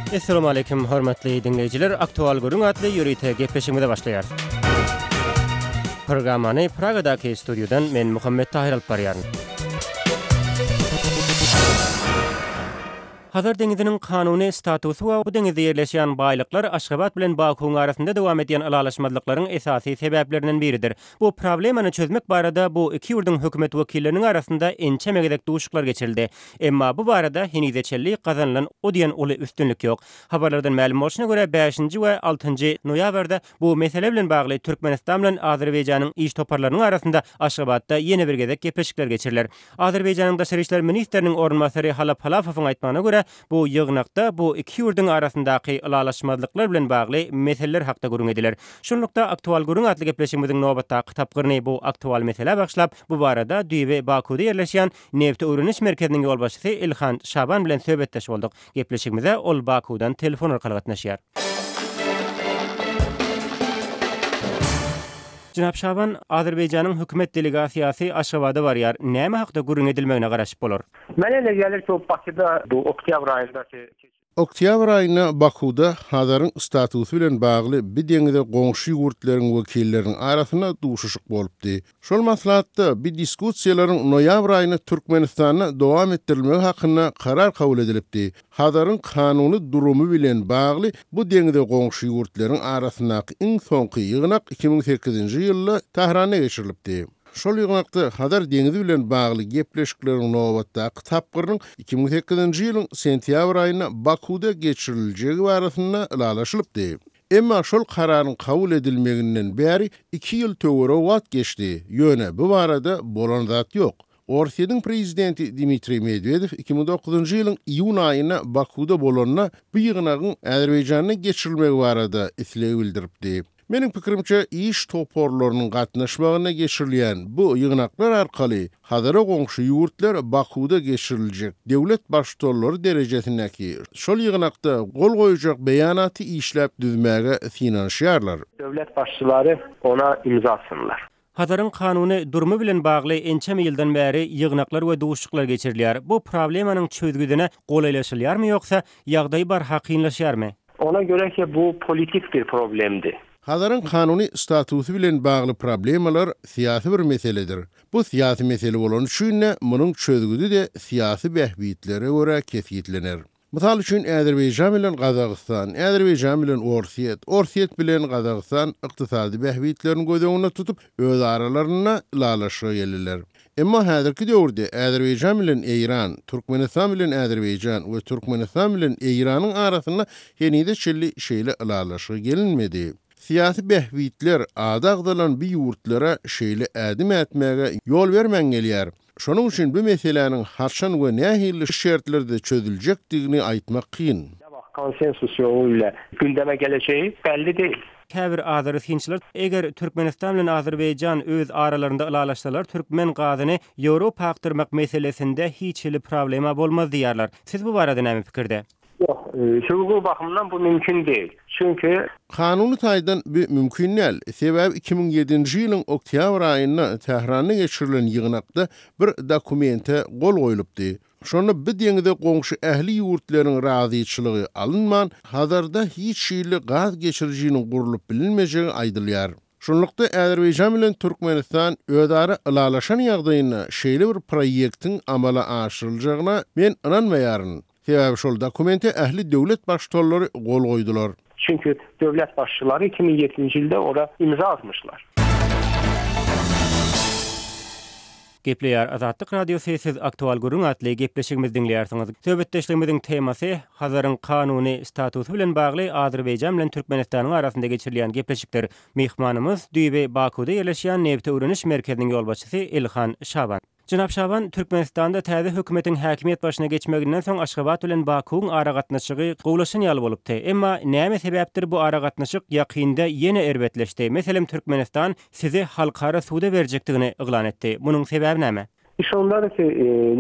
Essalamu aleýkum hormatly diňleýjiler Aktual gürrüň atly ýörite gepleşigimize başlaýarys. Programmany Pragadaky studiýadan men Muhammet Tahyr alyp barýaryn. Hazar deňiziniň kanuny statusy we bu deňizde ýerleşýän baýlyklar Aşgabat bilen Bakuwyň arasynda dowam edýän ylalaşmazlyklaryň esasy sebäplerinden biridir. Bu problemany çözmek barada bu iki ýurduň hökümet wekilleriniň arasynda ençeme gezek duşuşyklar geçirildi. Emma bu barada henize çenli gazanylan o diýen uly üstünlik ýok. Habarlardan mälim bolşuna görä, bäşinji we altynjy noýabrda bu mesele bilen bagly Türkmenistan bilen Azerbaýjanyň iş toparlarynyň arasynda Aşgabatda ýene bir gezek gepleşikler geçiriler. Azerbaýjanyň daşary işler ministriniň orunbasary Halap Halafowyň aýtmagyna görä, bu ýygnakda bu iki ýurduň arasyndaky ylalaşmazlyklar bilen bagly meseleler hakda gürrüň ediler. Şunlukda, Aktual gürrüň atly gepleşigimiziň nobatdaky tapgyryny bu aktual meselä bagyşlap, bu barada düýbi Bakuwda ýerleşýän Nebti öwreniş merkeziniň ýolbaşçysy Ilhan Şaban bilen söhbetdeş bolduk. Gepleşigimize ol Bakuwdan telefon arkaly gatnaşýar. Jenap Şaban, Azerbaýjanyň hökümet delegasiýasy Aşgabada barýar. Näme hakda gürrüň edilmegine garaşyp bolar? Mənə elə gəlir ki, o Bakıda bu oktyabr ayındakı Oktýabr aýynda Bakuwda Hazaryň statusy bilen bagly bi deňize goňşy ýurtlaryň wekilleriniň arasynda duşuşyk bolupdy. Şol maslahatda bi diskussiýalaryň noýabr aýynda Türkmenistanda dowam etdirilmegi hakynda karar kabul edilipdi. Hazaryň kanuny durumy bilen bagly bu deňize goňşy ýurtlaryň arasyndaky iň soňky ýygnak 2008-nji ýylda Tähranda geçirilipdi. Şol ýygnakda Hazar deňizi bilen bagly gepleşikleriň nobatdaky tapgyrynyň 2008-nji ýylyň sentýabr aýynda Bakuwda geçiriljegi barasynda ylalaşylypdy. Emma şol kararyň kabul edilmeginden bäri iki ýyl töweregi wagt geçdi, ýöne bu barada bolan zat ýok. Orsýetiň prezidenti Dmitriý Medwedew 2009-njy ýylyň iýun aýynda Bakuwda bolanda bu ýygnagyň Azerbaýjanda geçirilmegi barada isleg bildiripdi. Meniň pikirimçe, iş toparlarynyň gatnaşmagynda geçirilýän bu ýygnaklar arkaly Hazara goňşy ýurtlar Bakuwda geçiriljek döwlet Baştutanlary derejesindäki şol ýygnakda gol goýujak beýanaty işläp düzmäge synanyşýarlar. Döwlet başçylary ona imza atsynlar. Hazaryň kanuny durumy bilen bagly ençeme ýyldan bäri ýygnaklar we duşuşyklar geçirilýär. Bu problemanyň çözgüdine golaýlaşylýarmy ýoksa, ýagdaý barha kynlaşýarmy? Ona göre ki bu politik bir problemdi. Hazaryň kanuny statusy bilen bagly problemalar syýasy bir meseledir. Bu syýasy mesele bolany üçin-de munuň çözgüdi-de syýasy bähbitlere görä kesgitlener. Mysal üçin, Azerbaýjan bilen Gazagystan, Azerbaýjan bilen Orsýet, Orsýet bilen Gazagystan ykdysady bähbitlerini göz öňünde tutup, öz aralarynda ylalaşyga geldiler. Emma häzirki döwürde Azerbaýjan bilen Eýran, Türkmenistan bilen Azerbaýjan we Türkmenistan bilen Eýranyň arasynda henize çenli şeýle ylalaşyga gelinmedi. Syýasy bähbitler ady agzalan bu ýurtlara şeýle ädim ätmäge ýol bermän gelýär. Şonuň üçin bu meseläniň haçan we nähili şertlerde çözüljekdigini aýtmak kyn. Ne wagt konsensus ýoly ile gündeme gelejegi belli değil. Käbir azeri synçylar, eger Türkmenistan bilen Azerbaýjan öz aralarynda ylalaşsalar, türkmen gazyny Ýewropa akdyrmak meselesinde hiç hili problema bolmaz diýýärler. Siz bu barada näme pikirde? Ýok, hukuk bakymyndan bu mümkin değil. Çünki. Kanuny taýdan bu mümkin däl. Sebäbi 2007-nji ýylyň oktýabr aýynda Tähranda geçirilen ýygnakda bir dokumente gol goýlupdy. Şonda bu deňize goňşy ähli ýurtlaryň razyçylygy alynman, Hazarda hiç hili gaz geçirijiniň gurlup bilinmejegi aýdylýar. Şunlukda, Azerbaýjan bilen Türkmenistan özara ylalaşan ýagdaýynda şeýle bir proýektiň amala aşyryljagyna men ynanmaýaryn. Sebäbi şol dokumente ähli döwlet baştutanlary gol goýdular. Çünki döwlet başçylary 2007-nji ýylda ora imza atmyşlar. Gepleýär Azatlyk Radiosy Siz Aktual gürrüň atly gepleşigimizi diňleýärsiňiz. Söhbetdeşligimiziň temasy Hazaryň kanuny statusy bilen bagly Azerbaýjan bilen Türkmenistanyň arasynda geçirilýän gepleşikdir. Myhmanymyz düýbi Bakuwda ýerleşýän Nebti öwreniş merkeziniň ýolbaşçysy Ilhan Şaban. Jenap Şaban, Türkmenistanda täze hökümetiň häkimiýet başyna geçmeginden soň Aşgabat bilen Bakuwyň aragatnaşygy gowulaşan ýaly bolupdy. Emma näme sebäpdir bu aragatnaşyk ýakynda ýene erbetleşdi. Meselem Türkmenistan sizi halkara suda berjekdigini yglan etdi. Munuň sebäbi näme? İş ondadyr ki,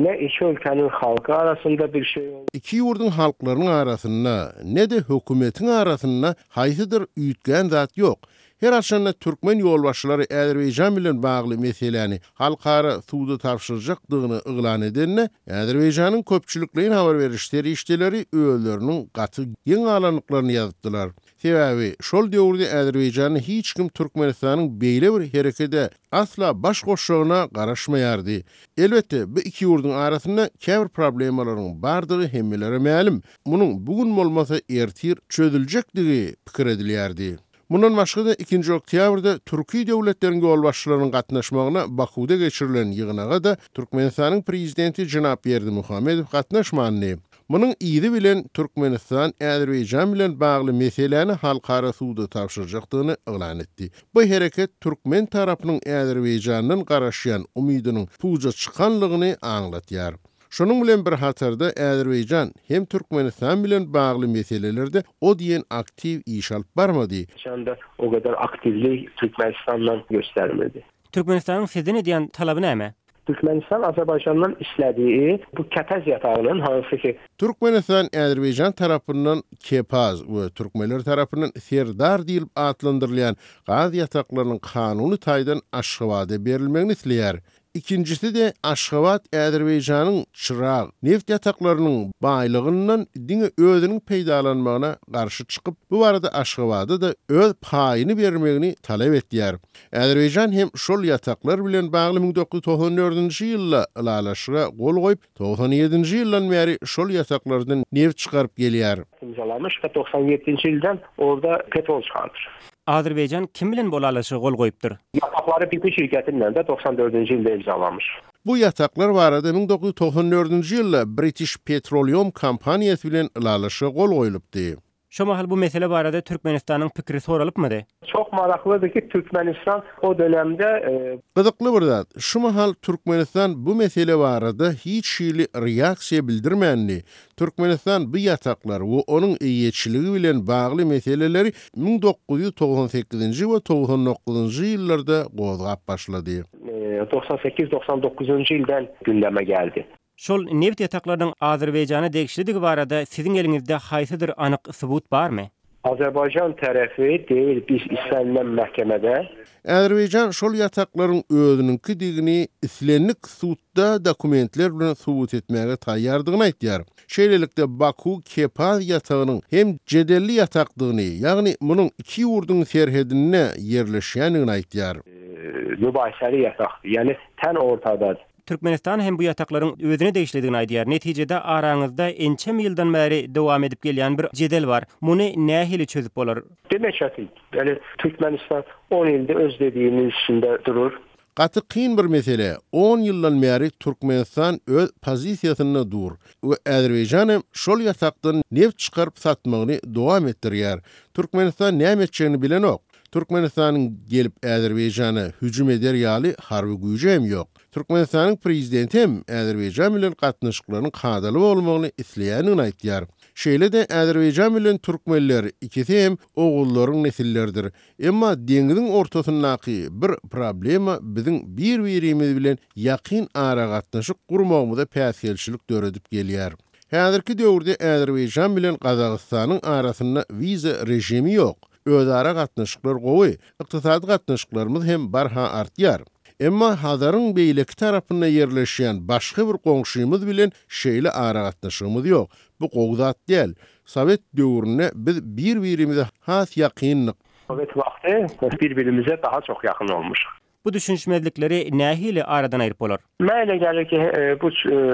ne iki ülkenin halky arasynda bir şey oldu. Iki ýurduň halklarynyň arasynda, ne-de hökümetiň arasynda haýsydyr üýtgän zat ýok. Her haçanda türkmen ýolbaşçylary Azerbaýjan bilen bagly meseläni halkara suda tabşyrjakdygyny yglan edende, Azerbaýjanyň köpçülikleýin habar beriş serişdeleri özleriniň gaty geň galandyklaryny ýazypdylar. Sebäbi şol döwürde Azerbaýjanda hiç kim Türkmenistanyň beýle bir herekede asla baş goşjagyna garaşmaýardy. Elbetde, bu iki ýurduň arasynda käbir problemalaryň bardygy hemmelere mälim. Munuň bu gün bolmasa ertir çözüljekdigi pikir edilýärdi. Mundan başga-da, ikinji oktýabrda türki döwletleriň ýolbaşçylarynyň gatnaşmagyna Bakuwda geçirilen ýygnaga-da Türkmenistanyň Prezidenti jenap Berdimuhamedow gatnaşmandy. Munuň yzy bilen Türkmenistan Azerbaýjan bilen bagly meseläni halkara suda tabşyrjakdygyny yglan etdi. Bu hereket türkmen tarapynyň Azerbaýjandan garaşýan umydynyň puja çykanlygyny aňlatýar. Şonuň bilen bir hatarda Azerbaýjan hem Türkmenistan bilen bagly meselelerde o diýen aktiw iş alyp barmady. Şonda o kadar aktiwlik Türkmenistandan göstermedi. Türkmenistanyň sizden edýän talaby näme? Türkmenistan Azerbaycandan istediği bu Kepez yatağının hansı ki, Türkmenistan Azerbaýjan tarapyndan Kepaz we türkmenler tarapyndan Serdar diýlip atlandyrylýan gaz ýataklarynyň kanuny taýdan Aşgabada berilmegini isleýär. Ikinjisi-de Aşgabat Azerbaýjanyň Çyrag neft ýataklarynyň baýlygyndan diňe özüniň peýdalanmagyna garşy çykyp, bu barada Aşgabada-da öz paýyny bermegini talap etýär. Azerbaýjan hem şol ýataklar bilen bagly 1994-nji ýylda ylalaşyga gol goýup, 97-nji ýyldan bäri şol ýataklardan neft çykaryp gelýär. Imzalamyş we 97-nji ýyldan orda petrol çykarypdyr. Azerbaýjan kim bilen bu ylalaşyga gol goýupdyr? Ýataklary BP şirketi bilen de 94-nji ýylda imzalamyş. Bu ýataklar barada 1994-nji ýylda British Petroleum kompaniýasy bilen ylalaşyga gol goýlupdy. Şo mahal bu mesele barada Türkmenistanyň pikiri soralypmydy? Çok maraklydy ki Türkmenistan o dönemde. Gyzykly bir zat, şu mahal Türkmenistan bu mesele barada hiç hili reaksiýa bildirmändi. Türkmenistan bu ýataklar we onuň eýeçiligi bilen bagly meseleleri 1998-nji we 99-njy ýyllarda gozgap başlady. 98, 99-njy ýyldan gündeme geldi. Şol nebit ýataklarynyň Azerbaýjana degişlidigi barada siziň eliňizde haýsydyr anyk subut barmy? Azerbaýjan tarapy deyir biz istenilen mahkemede. Azerbaýjan şol ýataklaryň özüniňkidigini islendik sudda dokumentler bilen subut etmäge taýýardygyny aýtýar. Şeýlelikde, Baku Kepaz ýatagynyň hem jedelli ýatakdygyny, ýagny munuň iki ýurduň serhedinde ýerleşýändigini aýtýar. Mübahiseli ýatakdy, ýagny ten ortada. Türkmenistan hem bu ýataklaryň özüne degişlidigini aýdýar. Netijede araňyzda ençeme ýyldan bäri dowam edip gelýän bir jedel bar. Muny nähili çözüp bolar? Demek çetin. Ýöne Türkmenistan on ýylda öz dediğinin üstünde durur. Gaty kyn bir mesele. On ýyldan bäri Türkmenistan öz pozisiýasynda dur we Azerbaýjan hem şol ýatakdan neft çykaryp satmagyny dowam etdirýär. Türkmenistan näme etjegini bilenok. Türkmenistanyň gelip Azerbaýjana hüjüm eder ýaly harby güýji hem ýok. Türkmenistanyň prezidenti hem Azerbaýjan bilen gatnaşyklaryň kadaly bolmagyny isleýändigini aýtýar. Şeýle-de Azerbaýjan bilen türkmenler ikisi hem oguzlaryň nesilleridir. Emma deňiziň ortasyndaky bir problema biziň bir-birimiz bilen ýakyn aragatnaşyk gurmagymyza päsgelçilik döredip gelýär. Häzirki döwürde Azerbaýjan bilen Gazagystanyň arasynda wiza režimi ýok. Özara gatnaşyklar gowy, ykdysady gatnaşyklarymyz hem barha artýar. Emma Hazaryň beýleki tarapynda ýerleşýän başga bir goňşymyz bilen şeýle aragatnaşygymyz ýok. Bu gowy zat däl. Sowet döwründe biz bir-birimize has ýakyndyk. Sowet wagty bir-birimize daha çok yakın olmuşuk. Bu düşünişmezlikleri nähili aradan aýryp bolar? Maňa öyle gelir ki bu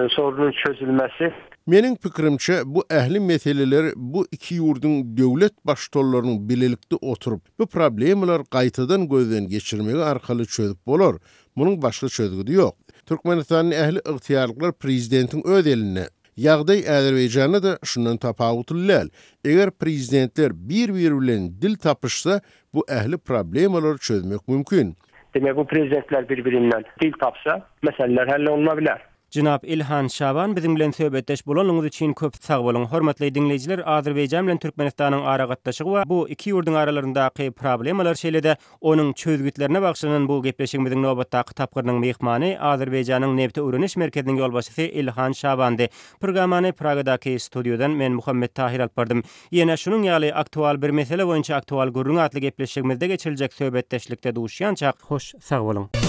sorunun çözülmesi. Meniň pikirimçe, bu ähli meseleleri bu iki ýurduň döwlet baştutanlarynyň bilelikde oturyp, bu problemalary gaýtadan gözden geçirmegi arkaly çözüp bolar. Munuň başga çözgüdi ýok. Türkmenistanda ähli ygtyýarlyklar prezidentiň öz elinde. Ýagdaý Azerbaýjanda-da şundan tapawutly däl. Eger prezidentler bir-biri bilen dil tapyşsa, bu ähli problemalary çözmek mümkin. Demek bu prezidentler bir-birinden dil tapsa, meseleler hallolunabilir. Jenap Ilhan Şaban biziň bilen söhbetdeş bolanlygyňyz üçin köp sag boluň. Hormatly diňleýjiler Azerbaýjan bilen Türkmenistanyň aragatnaşygy we bu iki ýurduň aralaryndaky problemalar şeýle-de onuň çözgütlerine bagyşlanan bu gepleşigimiziň nobatdaky tapgyrynyň myhmany Azerbaýjanyň Nebti öwreniş merkeziniň ýolbaşçysy Ilhan Şabandy. Programmany Pragadaky studiýadan men Muhammet Tahyr alyp bardym. Ýene şunuň ýaly aktual bir mesele boýunça aktual gürrüň atly gepleşigimizde geçiriljek söhbetdeşlikde duşýançak hoş sag boluň.